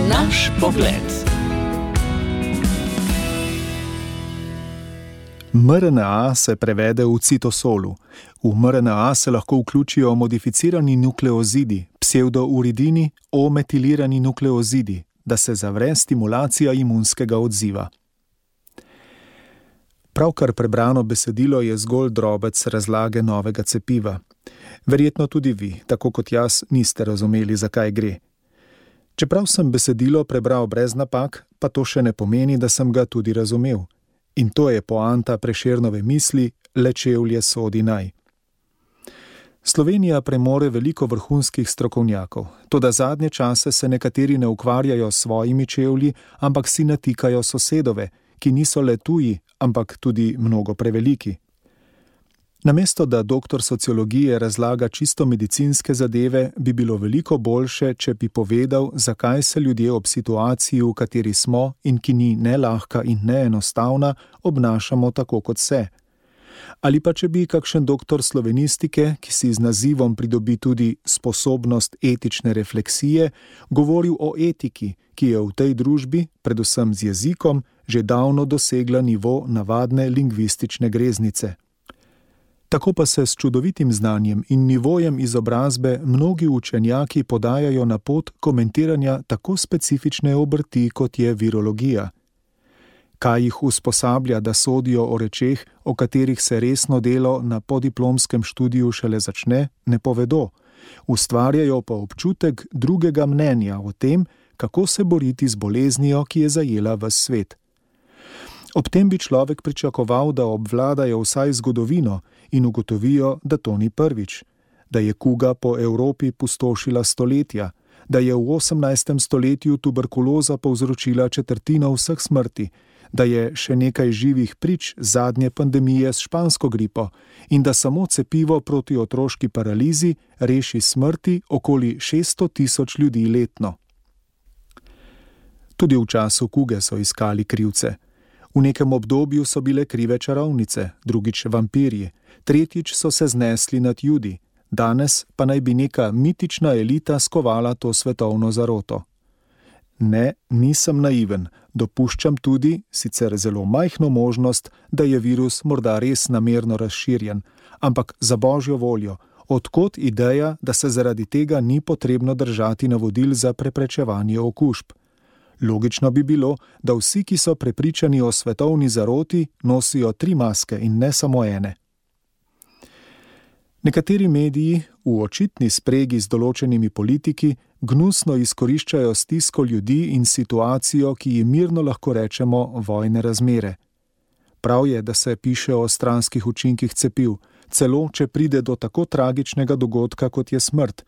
Naš pogled. mRNA se prevede v citosolu. V mRNA se lahko vključijo modificirani nukleozidi, psevdouridini, O-metilirani nukleozidi, da se zavre stimulacija imunskega odziva. Pravkar prebrano besedilo je zgolj drobec razlage novega cepiva. Verjetno tudi vi, tako kot jaz, niste razumeli, zakaj gre. Čeprav sem besedilo prebral brez napak, pa to še ne pomeni, da sem ga tudi razumel. In to je poanta Prešernove misli, le čevlje sodi naj. Slovenija premore veliko vrhunskih strokovnjakov, toda zadnje čase se nekateri ne ukvarjajo s svojimi čevlji, ampak si natikajo sosedove, ki niso le tuji, ampak tudi mnogo preveliki. Namesto da doktor sociologije razlaga čisto medicinske zadeve, bi bilo veliko boljše, če bi povedal, zakaj se ljudje ob situaciji, v kateri smo in ki ni ne lahka in ne enostavna, obnašamo tako kot se. Ali pa če bi kakšen doktor slovenistike, ki si z nazivom pridobi tudi sposobnost etične refleksije, govoril o etiki, ki je v tej družbi, predvsem z jezikom, že davno dosegla nivo navadne lingvistične greznice. Tako pa se s čudovitim znanjem in nivojem izobrazbe mnogi učenjaki podajajo na pot komentiranja tako specifične obrti, kot je virologija. Kaj jih usposablja, da sodijo o rečeh, o katerih se resno delo na podiplomskem študiju šele začne, ne povedo. Ustvarjajo pa občutek drugega mnenja o tem, kako se boriti z boleznijo, ki je zajela ves svet. Ob tem bi človek pričakoval, da obvladajo vsaj zgodovino in ugotovijo, da to ni prvič, da je kuga po Evropi pustošila stoletja, da je v 18. stoletju tuberkuloza povzročila četrtino vseh smrti, da je še nekaj živih prič zadnje pandemije s špansko gripo in da samo cepivo proti otroški paralizi reši smrti okoli 600.000 ljudi letno. Tudi v času kuge so iskali krivce. V nekem obdobju so bile krive čarovnice, drugič vampirji, tretjič so se znesli nad Judi, danes pa naj bi neka mitična elita skovala to svetovno zaroto. Ne, nisem naiven, dopuščam tudi, sicer zelo majhno možnost, da je virus morda res namerno razširjen, ampak za božjo voljo, od kod ideja, da se zaradi tega ni potrebno držati navodil za preprečevanje okužb. Logično bi bilo, da vsi, ki so prepričani o svetovni zaroti, nosijo 3 maske in ne samo ene. Nekateri mediji, v očitni spregi z določenimi politiki, gnusno izkoriščajo stisko ljudi in situacijo, ki jim mirno lahko rečemo vojne razmere. Prav je, da se piše o stranskih učinkih cepiv, celo če pride do tako tragičnega dogodka, kot je smrt.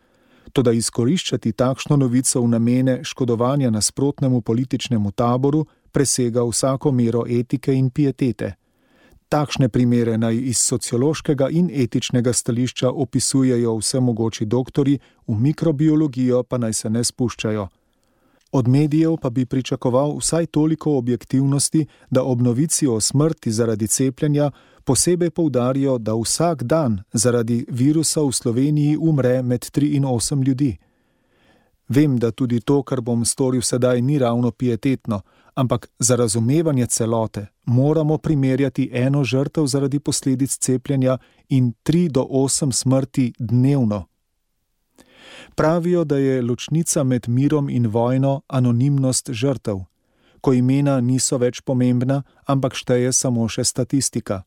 Toda izkoriščati takšno novico v namene škodovanja nasprotnemu političnemu taboru presega vsako mero etike in pietete. Takšne primere naj iz sociološkega in etičnega stališča opisujejo vsemogoči doktorji, v mikrobiologijo pa naj se ne spuščajo. Od medijev pa bi pričakoval vsaj toliko objektivnosti, da ob novici o smrti zaradi cepljenja posebej poudarijo, da vsak dan zaradi virusa v Sloveniji umre med 3 in 8 ljudi. Vem, da tudi to, kar bom storil sedaj, ni ravno pietetno, ampak za razumevanje celote moramo primerjati eno žrtev zaradi posledic cepljenja in 3 do 8 smrti dnevno. Pravijo, da je ločnica med mirom in vojno anonimnost žrtev, ko imena niso več pomembna, ampak šteje samo še statistika.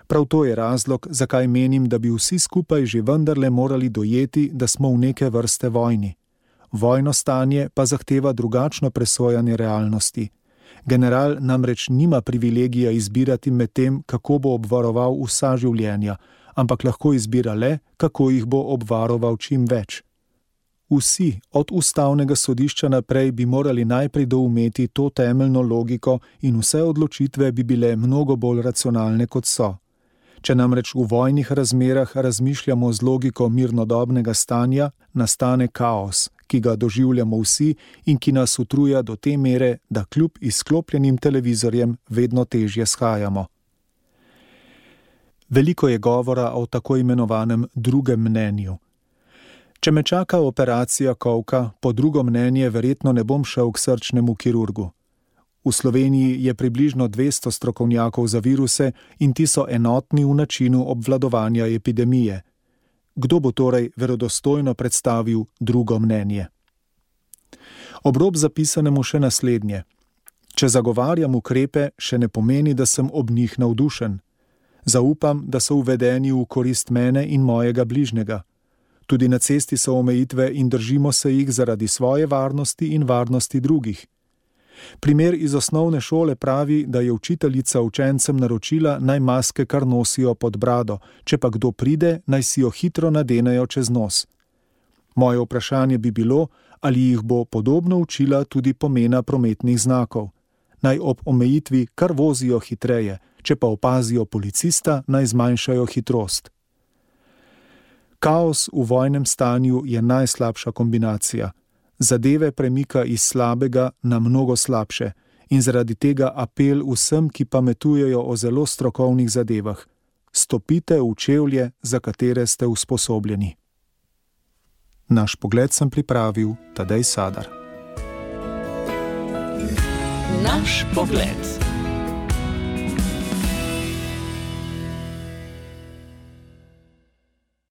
Prav to je razlog, zakaj menim, da bi vsi skupaj že vendarle morali dojeti, da smo v neke vrste vojni. Vojno stanje pa zahteva drugačno presojanje realnosti. General namreč nima privilegija izbirati med tem, kako bo obvaroval vsa življenja, ampak lahko izbira le, kako jih bo obvaroval čim več. Vsi, od ustavnega sodišča naprej, bi morali najprej doumeti to temeljno logiko in vse odločitve bi bile mnogo bolj racionalne, kot so. Če namreč v vojnih razmerah razmišljamo z logiko mirnodobnega stanja, nastane kaos, ki ga doživljamo vsi in ki nas utruja do te mere, da kljub izklopljenim televizorjem vedno težje shajamo. Veliko je govora o tako imenovanem drugem mnenju. Če me čaka operacija kolka, po drugo mnenje verjetno ne bom šel k srčnemu kirurgu. V Sloveniji je približno 200 strokovnjakov za viruse in ti so enotni v načinu obvladovanja epidemije. Kdo bo torej verodostojno predstavil drugo mnenje? Ob rob zapisanemu še naslednje. Če zagovarjam ukrepe, še ne pomeni, da sem ob njih navdušen. Zaupam, da so uvedeni v korist mene in mojega bližnjega. Tudi na cesti so omejitve in držimo se jih zaradi svoje varnosti in varnosti drugih. Primer iz osnovne šole pravi, da je učiteljica učencem naročila, naj maske kar nosijo pod brado, če pa kdo pride, naj si jo hitro nadenejo čez nos. Moje vprašanje bi bilo, ali jih bo podobno učila tudi pomena prometnih znakov. Naj ob omejitvi kar vozijo hitreje, če pa opazijo policista, naj zmanjšajo hitrost. Kaos v vojnem stanju je najslabša kombinacija. Zadeve premika iz slabega na mnogo slabše in zaradi tega apel vsem, ki pametujejo o zelo strokovnih zadevah. Stopite v čevlje, za katere ste usposobljeni. Naš pogled sem pripravil Tadej Sadar. Naš pogled.